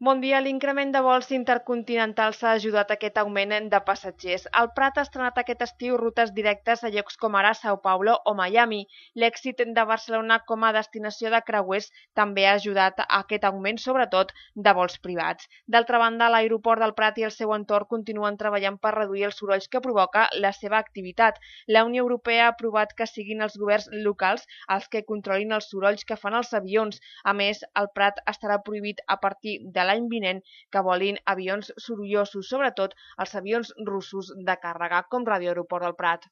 Bon dia. L'increment de vols intercontinentals ha ajudat a aquest augment de passatgers. El Prat ha estrenat aquest estiu rutes directes a llocs com ara São Paulo o Miami. L'èxit de Barcelona com a destinació de creuers també ha ajudat a aquest augment, sobretot de vols privats. D'altra banda, l'aeroport del Prat i el seu entorn continuen treballant per reduir els sorolls que provoca la seva activitat. La Unió Europea ha aprovat que siguin els governs locals els que controlin els sorolls que fan els avions. A més, el Prat estarà prohibit a partir de l'any vinent que volin avions sorollosos, sobretot els avions russos de càrrega, com Radio Aeroport del Prat.